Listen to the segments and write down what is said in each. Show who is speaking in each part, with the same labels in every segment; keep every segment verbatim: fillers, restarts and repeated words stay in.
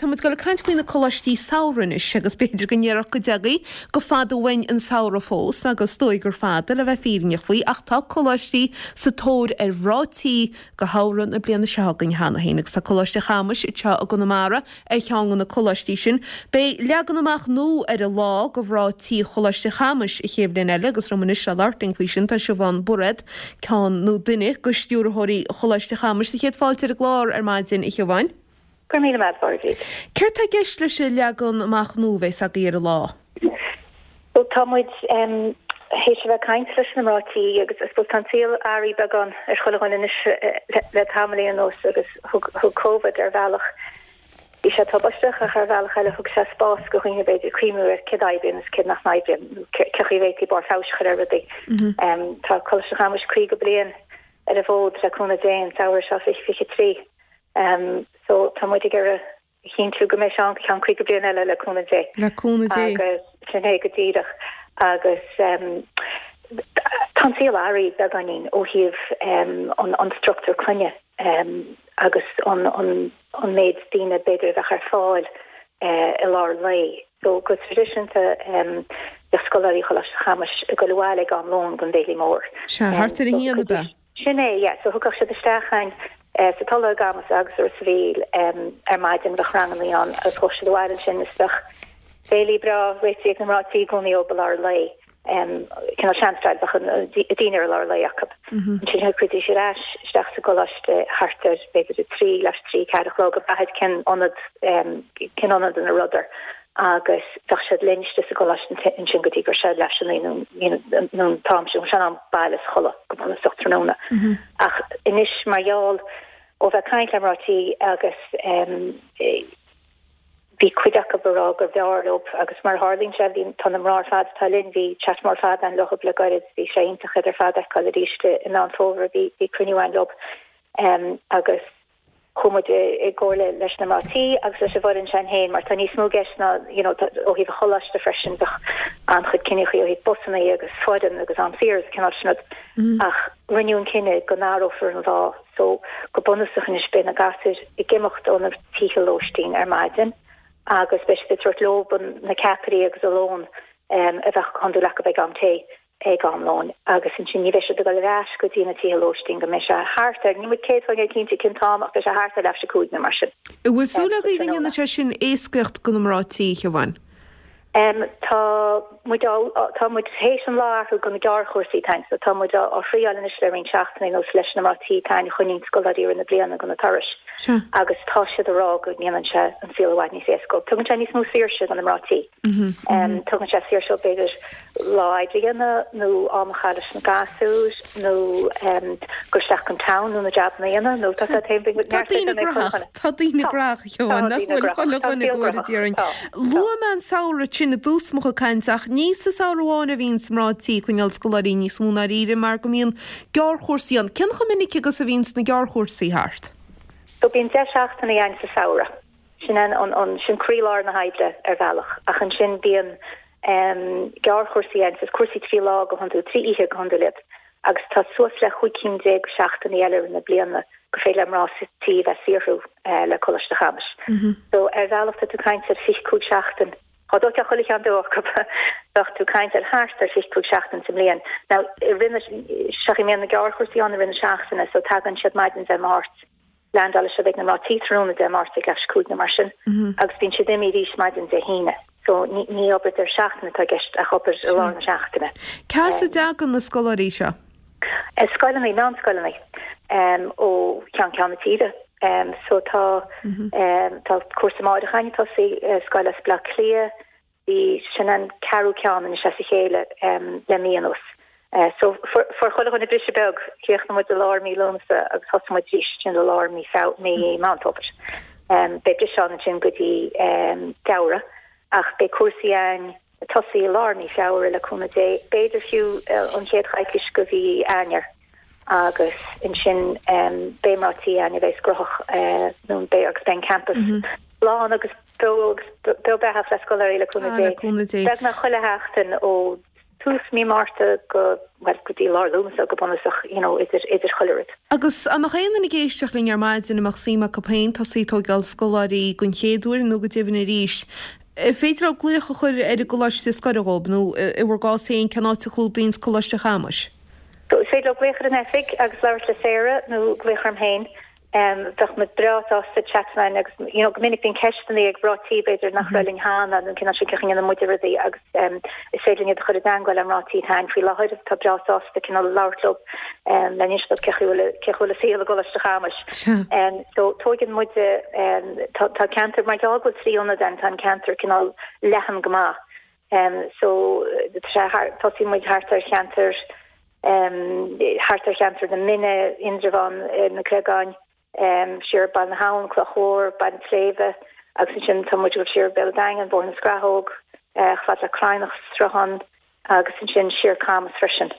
Speaker 1: Tá muid ag dul ag caint faoi na coláistí samhraidh anois agus b'fhéidir go ndéarfá go dtiocfaidh go fada uainn an samhradh fós agus is dóigh gur fada le bheith fírinneach faoi ach tá coláistí sa tóir ar mhná tí go shamhradh na bliana seo chugainn cheana féin agus tá Coláiste Chamuis anseo i gConamara ar cheann de na coláistí sin. Beidh leagan amach nua ar an lá go mhná tí Choláiste Chamuis an chéad bhliain eile agus liom anois le labhairt linn faoi sin tá Siobhán Bairéad, ceann nó duine de stiúrthóirí Choláiste Chamuis. Sé chéad fáilte ar an gclár ar maidin, a Shiobháin.
Speaker 2: Go raibh míle maith agat.
Speaker 1: Céard tá i gceist leis an leagan amach nua a bheas agaibh ar an lá?
Speaker 2: Well tá muid um, théis a bheith ag caint leis na mná tí agus I suppose tá an saol athraithe beagán ar chuile dhuine anois le, le tamaillín anuas agus thug, thug COVID ar bhealach Bhí sé tubaisteach ach ar bhealach eile thug sé spás go dhaoine b'fhéidir cuimhniú ar céard a oibríonn is céard nach n-oibríonn nó cé chaoi a bhféadfaí barr feabhais a chur ar rudaí. Um, tá Coláiste Chamuis caoga bliain ar an bhfód le cúnamh Dé an samhradh seo fiche fiche trí. Um, so tá muid ag iarraidh a chinntiú go mbeidh sé ann go ceann caoga bliain eile le cúnamh Dé.
Speaker 1: Le cúnamh Dé.
Speaker 2: Agus sin é go díreach agus um, tá an saol athraithe beagáinín ó thaobh um, an, an struchtúr clainne um, agus an, an, an méid daoine b'fhéidir a bheith ar fáil uh, i lár lae. So go traidisiúnta um, bheadh scoláirí Choláiste Chamuis ag dul abhaile ag am lóin don bhéile mór.
Speaker 1: Se thart ar a haon ab ea.
Speaker 2: Sin é, yeah, so thiocfadh siad isteach chugainn uh, sa Tulaigh i gCamus agus ar sa Mhíl um, ar maidin bheadh ranganna ann agus chuaigh siad abhaile ansin is bheadh béilí breá réitithe ag na mná tí i gcónaí dóibh i lár lae. Um, cineál sean-style bheadh an dinnéar i lár lae acu. Ansin thiocfaidís ar ais isteach sa gcoláiste thart ar b'fhéidir a trí leath trí ceathair a chlog ag brath cén ionad um, cén ionad ina rabhadar agus bheadh siad linn istigh sa gcoláiste ansin go dtí gur sé leis an nó an t-am sin sin am baile is chodladh go bunúsach tráthnóna. Ach anois mar gheall ó bheith caint le mná tí agus um, bhí cuid acu ag rá gur bhfearr leo agus mar tharlaíonn sé bhí tá na mná ar fad atá linn bhí chat mór fada againn leo le gairid bhí sé iontach iad ar fad a fheiceáil arís i Meán Fómhair bhí bhí cruinniú againn leo um, agus chuaigh muid i gcomhairle leis na mná tí agus leis an bhfoireann sin féin mar tá níos mó i gceist ná you know, ó thaobh an choláiste freisin bheadh an-chuid cinntí ó thaobh busanna agus foireann agus am saor agus cineál sin mm. ach rinneadh an cinneadh go n-athrófar an lá so go bunúsach anois beidh na gasúir ag imeacht ó na tithe lóistín ar maidin agus beidh siad ag tabhairt leo na ceapairí agus a lón um, a bheadh chun le ag am tae ag am lóin agus ansin ní bheidh siad ag dul ar ais go dtí na tithe lóistín go mbeidh sé thart ar ní muid céad faoin gcéad cinnte cén t-am ach beidh sé thart ar leath théis cúig nó mar sin.
Speaker 1: An bhfuil súil agaibh go ndéanfaidh sé sin éascaíocht go na mná tí a Shiobháin?
Speaker 2: Um, tá muid tá muid théis an lá a athrú go na gearrchúrsaí tain, so tá muid á thriail anois le roinnt seachtainí nó leis na mná tí tain chuin scoláirí na bliana go na turais. Agus tá siad ag rá go ndéanann sé an saol i bhfad níos éasca. Tugann sé níos mó saoirse do na mná tí. Um, tugann sé saoirse b'fhéidir lá oibre a dhéanamh nó am a chaitheamh leis na gasúir nó um, dul isteach an town nó na jabanna a dhéanamh nó tá
Speaker 1: Tá daoine grách Tá daoine grách Shiobhán nach bhfuil chuile dhuine go dtíarainn. Luaigh mé an samhradh sin i dtús mo chuid cainte ach ní sa samhradh amháin a bhíonn mná tí ag coinneáil scoláirí níos mó ná riamh mar go mbíonn gearrchúrsaí ann. Cén chomh minic agus a bhíonn na gearrchúrsaí thart?
Speaker 2: So bíonn deich seachtaine ann sa samhradh. Sin an, an, an sin croílár na hoibre ar bhealach ach ansin bíonn um, gearrchúrsaí ann cúrsaí trí lá go hiondúil trí oíche go hiondúil agus tá suas le cúig cinn déag seachtainí eile na bliana go féidir le mná tí bheith saothrú uh, le Coláiste Chamuis. Mm -hmm. So ar bhealach tá tú ag caint ar fiche cúig seachtain Tá dó chuile cheann acu bheadh tú ag caint ar thart ar fiche cúig seachtain sa mbliain. Now rinne se mé na gearrchúrsaí an rinne seachtaine, so tagann siad maidin Dé Máirt landálann siad ag na mná tí tráthnóna Dé Máirt ag leath théis cúig nó mar sin mm -hmm. agus bíonn siad imithe arís maidin Dé hAoine. So ní ní obair ar seachtain atá i gceist ach obair i lár na seachtaine.
Speaker 1: Cá as a dtagann na scoláirí seo?
Speaker 2: Scoileanna meánscoileanna um, ó cheann ceann na tíre. Um, so tá mm -hmm. um, tá cúrsa amárach ag tosú uh, scoil as Bleá Cliath, bhí sin an ceathrú ceann in sé a chéile um, le mí anuas. Uh, so fuair chuile dhuine briseadh beag chríochnaigh muid i lár mí Lúnasa agus thosaigh muid arís sin i lár mí mí Meán Fómhair. Um, Beidh briseadh ansin go dtí um, Feabhra ach beidh cúrsaí ann tosaí lár mí Feabhra le cúnamh Dé b'fhéidir fiú uh, an chéad choicís go mhí Eanáir agus ansin um, beidh mná tí ann a bheidh gróthach uh, nó beidh agus beidh campus mm -hmm. lán agus beo beathach le scoláirí le cúnamh Dé. Beagnach chuile sheachtain ó tús mí Márta go well go dtí lár Lúnasa go bunúsach you know idir idir chuile rud.
Speaker 1: Agus an mbeadh aon duine ag éisteacht linn ar maidin a mbeadh suim acu féin tosaí ag tógáil scoláirí den chéad uair nó go deimhin arís, féidir leo glaoch a chur ar an gcoláiste is gaire dhóibh nó i bhur gcás féin cén áit a chlúdaíonns Coláiste Chamais?
Speaker 2: So is féidir leo glaoch ar an oifig agus labhairt le Sarah nó glaoch orm féin. Um, bheadh muid breá sásta chat linn agus you know, go minic bíonn ceisteanna ag mná tí b'fhéidir nach raibh linn cheana nó cineál sin cén chaoi a ndéanann muide rudaí agus um, is féidir linn iad a chur i dteagmháil le mná tí atá ann faoi láthair tá breá sásta cineál labhairt leo um, le n-insint dóibh cén chaoi bhfuil cén chaoi bhfuil an saol i gColáiste Chamais. Um, so tógann muide um, tá, tá ceantar mar gheall go bhfuil trí ionad ann tá an ceantar cineál leathan go maith. Um, so tosaíonn muid thart ar cheantar um, thart ar cheantar na Mine, Indreabhán, eh, na Creagáin, um, siar Baile na hAbhann, Cloch Mhór, Baile an tSléibhe, agus ansin tá muid siar Béal Daingean, Bóthar na Scrathóg, uh, fad le Cladhnach Sruthán agus ansin siar Camas freisin.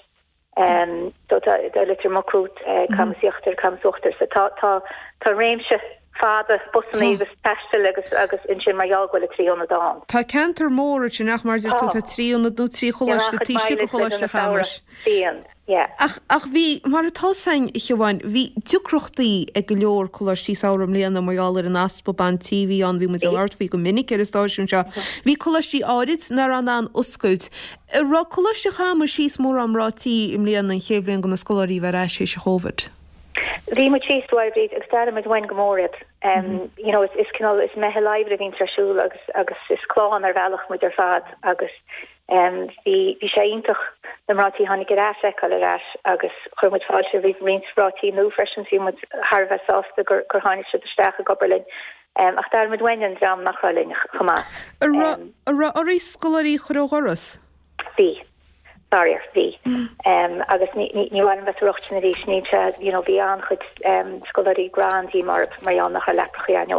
Speaker 2: Um, so tá tá Leitir Mucrut, uh, Camas Íochtar, Camas Uachtar, so tá tá tá réimse fada busanna agus taistil agus agus ansin mar gheall go bhfuil trí ionad ann.
Speaker 1: Tá ceantar mór sin ach mar tú tá trí ionad nó trí choláiste taobh istigh de Choláiste Chamais.
Speaker 2: Bíonn, yeah.
Speaker 1: Ach ach bhí mar atá san Shiobhán, bhí deacrachtaí ag go leor coláistí samhraidh i mbliana mar gheall ar an easpa bean tí a bhí ann bhí muid ag labhairt faoi go minic ar an stáisiún seo. Bhí coláistí áirid nach raibh in ann oscailt. Raibh Coláiste Chamais thíos mórán mná tí i mbliana an chéad bhliain do na scoláirí bheith ar ais théis an Covid.
Speaker 2: Bhí muid síos bhríd agus d'airigh muid uainn go mór iad. Um, you know, is, is cineál is meitheal oibre a bhíonn ar siúl agus agus is clann ar bhealach muid ar fad agus um, bhí bhí sé iontach na mná tí tháinig ar ais a fheiceáil ar ais agus chuir muid fáilte roimh roinnt mná tí nua freisin bhí muid thar a bheith sásta gur gur tháinig siad isteach ag obair linn. Um, ach d'airigh muid uainn an dream nach raibh linn chomh maith.
Speaker 1: An raibh oraibh scoláirí a chur ó dhoras?
Speaker 2: Bhí. Faraor bhí. Um, agus ní ní ní bhhain bheith rochtain arís ní se you know, bhí an-chuid um, scoláirí grand mar mar gheall nach raibh leaprachaí ann.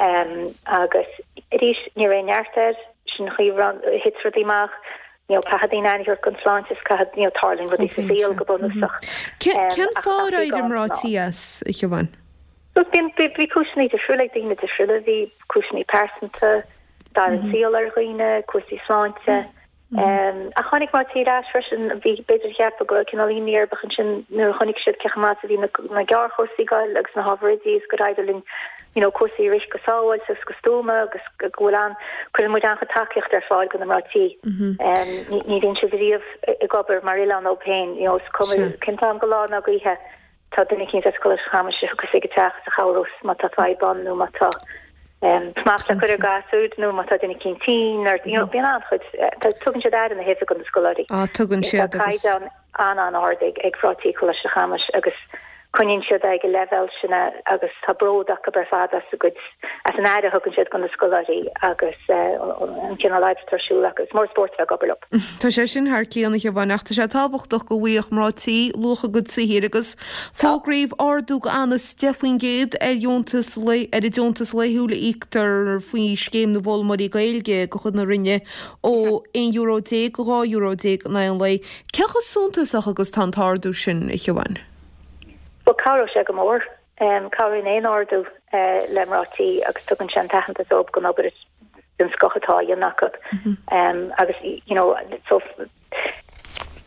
Speaker 2: Um, agus arís ní raibh neart air sin chaoi thit rudaí amach, you know, caithfidh daoine aire don tsláinte caithfidh you know, tarlaíonn rudaí sa saol go bunúsach.
Speaker 1: Cén fáth ar éirigh mná tí as a Shiobhán?
Speaker 2: So bíonn bhí cúiseanna difriúla ag daoine difriúla, bhí cúiseanna pearsanta, dar an saol ar dhaoine, cúrsaí sláinte. Um, a tháinig mná tí ar ais freisin bhí b'fhéidir cheap go cineál imní orthu ansin nuair a chonaic siad cé chomh maith a bhí na, na gearrchúrsaí ag goil agus na hábhair oidí is gur éirigh linn you know, cúrsaí a rith go sábháilte agus go stuama agus go bhfuil an cuireann muid an-chuid tacaíocht ar fáil do na mná tí. Um, ní ní bhíonn siad riamh ag obair mar oileán iad féin, you know, is cuma cén t-am de lá nó oíche tá duine éicint as Coláiste Chamais a thiocfas ag teach a chabhrós má tá fadhb ann nó má tá um, smacht le cur ar ghasúr nó má tá duine éicint tinn or you know, bíonn an-chuid eh, tugann siad aire na hoibre do na scoláirí.
Speaker 1: Á tugann siad
Speaker 2: Tá
Speaker 1: agus
Speaker 2: caighdeán an-an-ard ag ag mná tí Coláiste Chamais agus coinníonn siad ag an leibhéal sin agus tá bród acu ar fad as a gcuid as an aire a thugann siad do na scoláirí agus eh, an cineál oibre atá ar siúl agus mór spórt bheith ag obair leo.
Speaker 1: Tá sé sin thar cionn a Shiobhán ach tá sé tábhachtach go bhfaigheadh mná tí luach a gcuid saothair agus fógraíodh ardú anuas deich faoin gcéad ar dheontas ar an deontas laethúil a íoctar faoi scéim na bhfoghlaimeoirí Gaeilge de chuid na Roinne ó aon euro déag go dhá euro déag in aghaidh an lae. Cé chomh suntasach agus tá an t-ardú sin a Shiobhán?
Speaker 2: Well cabhróidh sé go mór um, cabhraíonn aon ardú uh, le mná tí agus tugann sé an t-aitheantas dóibh don obair den scoth atá á dhéanamh acu. Um, agus you know, so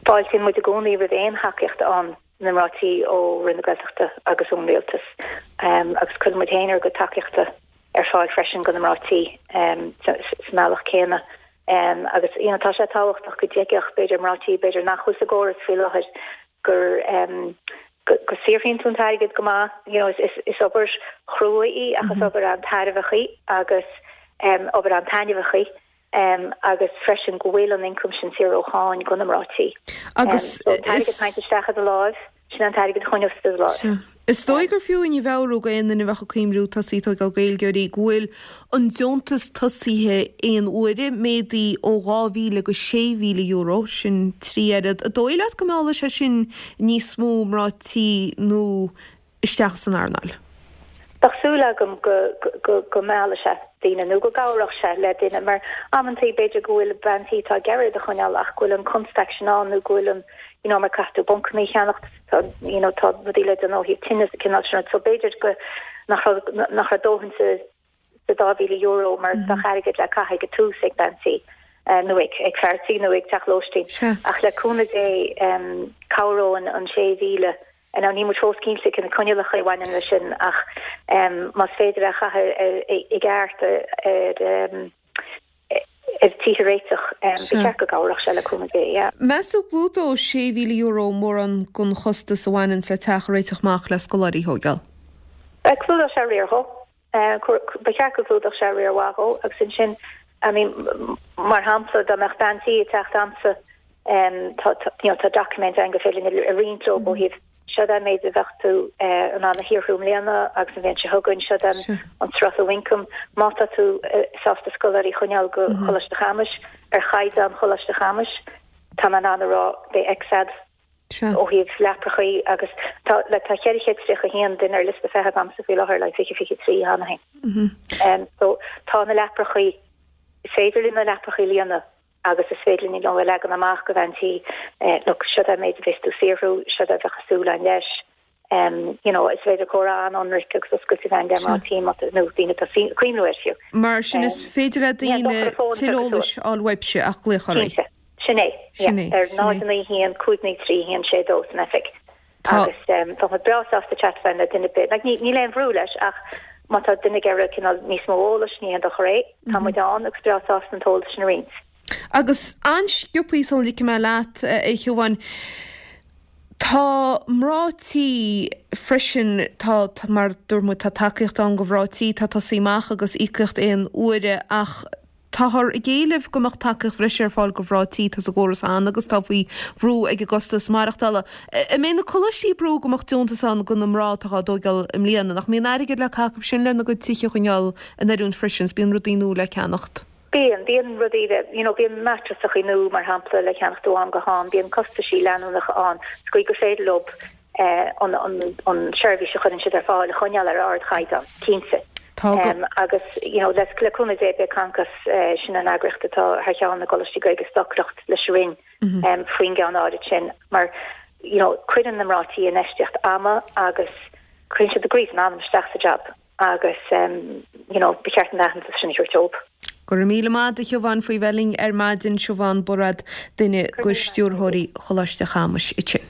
Speaker 2: fáiltíonn muid i gcónaí roimh aon thacaíocht ann na mná tí ó Roinn na Gaeltachta agus ón rialtas. Um, agus cuireann muid féin ár gcuid tacaíochta ar fáil freisin do na mná tí um, sa mbealach céanna. Um, agus you know, tá sé tábhachtach go dtuigfeadh b'fhéidir mná tí b'fhéidir nach bhfuil sa gcóras faoi láthair gur um, go go saothraíonn tú an t-airgead go maith you know, is, is, is obair chrua í ach is obair an-tairbheach í agus um, obair an-taitneamhach í um, agus freisin go bhfuil an income sin saor ó cháin do na mná tí.
Speaker 1: Agus
Speaker 2: um, so an t-airgead
Speaker 1: is-
Speaker 2: thaint isteach i do láimh, sin an t-airgead a choinneos do láimh.
Speaker 1: Sea. Is dóigh gur fiú a mheabhrú d'aon duine a bheadh ag cuimhniú tosaí ag tógáil Gaeilgeoirí go bhfuil an deontas tosaithe aon uaire méadaithe ó dhá mhíle go sé mhíle euro sin trí oiread. An dóigh leat go meallfaidh sé sin níos mó mná tí nó isteach san earnáil.
Speaker 2: Tá súil agam go go go meallfaidh sé daoine nó go gcabhróidh sé le daoine mar amantaí b'fhéidir go bhfuil bean tí atá ag iarraidh a choinneáil ach go bhfuil an constaic sin ann nó go bhfuil an you know, mar caithfidh tú buncanna a cheannacht tá you know, tá rudaí le déanamh ó thaobh tine cineál sin so b'fhéidir go nach raibh nach raibh dóthain sa sa dá mhíle euro mar bheadh airgead le caitheamh ag tús ag bean tí. nó ag ag fear tí nó ag teach lóistín. Ach le cúnamh Dé cabhróidh an sé mhíle Now níl muid fós cinnte cé na coinníollacha a bhaineann leis sin ach más féidir a chaitheamh i gceart ar ar tithe a réiteach ba cheart go gcabhródh sé le cúnamh Dé, yeah.
Speaker 1: Meas tú go gclúdódh sé mhíle euro mórán den chostas a bhaineann le teach a réiteach amach le scoláirí a thógáil?
Speaker 2: Clúdódh sé riar dhó. Ba cheart go gclúdódh sé riar mhaith dhó agus ansin I mean mar shampla dá mbeadh bean tí ag teacht a'msa tá you know tá document againn gur féidir linn a roinnt leo ó thaobh seo an méid a bheadh tú in ann a shaothrú i mbliana agus an bhliain seo chugainn seo an an sruthlú ioncaim má tá tú sásta scoláirí a choinneáil go Choláiste Chamais ar chaighdeán Choláiste Chamais tá mé in ann a rá beidh X a'd ó thaobh leaprachaí agus tá le tá ceithre chéad tríocha a haon duine ar liosta feithimh a'msa faoi láthair le fiche fiche trí cheana féin. So tá na leaprachaí is féidir linn na leaprachaí a líonadh agus is féidir linn a leagan amach do bhean tí look seo an méid a bheas tú ag saothrú, seo a bheadh súil againn leis. Um, you know, is féidir comhrá an-ionraic agus oscailte a bheith le mná tí nó daoine atá ag cuimhniú air fiú.
Speaker 1: Mar sin is féidir le daoine tuilleadh eolais a fháil uaibhse ach glaoch oraibh.
Speaker 2: Cinnte. Sin é, yeah. Ar náid a naoi haon cúig naoi trí haon sé dó san oifig. Agus tá muid breá sásta chat a bheith le duine ar bith. Like, níl aon bhrú leis ach má tá duine ag iarraidh cineál níos mó eolais ní haon dochar é. Tá muid ann agus breá sásta an t-eolas sin a roinnt.
Speaker 1: Agus an-sciobtha sula ligfidh mé leat, a Shiobháin, tá mná tí freisin, tá, mar dúirt muid, tá tacaíocht ann do mhná tí, tá tosaí amach agus íocaíocht aon uaire ach táthar ag éileamh go mbeadh tacaíocht bhreise ar fáil do mhná tí atá sa gcóras cheana agus atá faoi bhrú ag an gcostas maireachtála. An mbeidh na coláistí ag brú go mbeadh deontas ann do na mná atá á dtógáil i mbliana? Nach mbíonn airgead le caitheamh acu sin lena gcuid tithe a choinneáil in oiriúint freisin 's bíonn rudaí nua le ceannacht?
Speaker 2: Bíonn, bíonn rudaí le, you know, bíonn matrasachaí nua mar shampla le ceannacht ó am go ham, bíonn costaisí leanúnacha ann sa gcaoi gur féidir leo an, an, an seirbhís a chuireann siad ar fáil a choinneáil ar ardchaighdeán, cinnte.
Speaker 1: Tá go.
Speaker 2: Agus, you know, le, le cúnamh Dé beidh Concos, sin an eagraíocht atá thar cheann na gcoláistí Gaeilge ag stocaireacht leis an Roinn faoin gceann áirid sin mar, you know, cuireann na mná tí infheistíocht ama agus cuireann siad a gcroí is a n-anam isteach sa jab agus, you know, ba cheart an t-aitheantas sin a thabhairt dóibh.
Speaker 1: Go raibh míle maith agat a Shiobhán faoi bheith linn ar maidin, Siobhán Bairéad, duine de stiúrthóirí Choláiste Chamais ansin.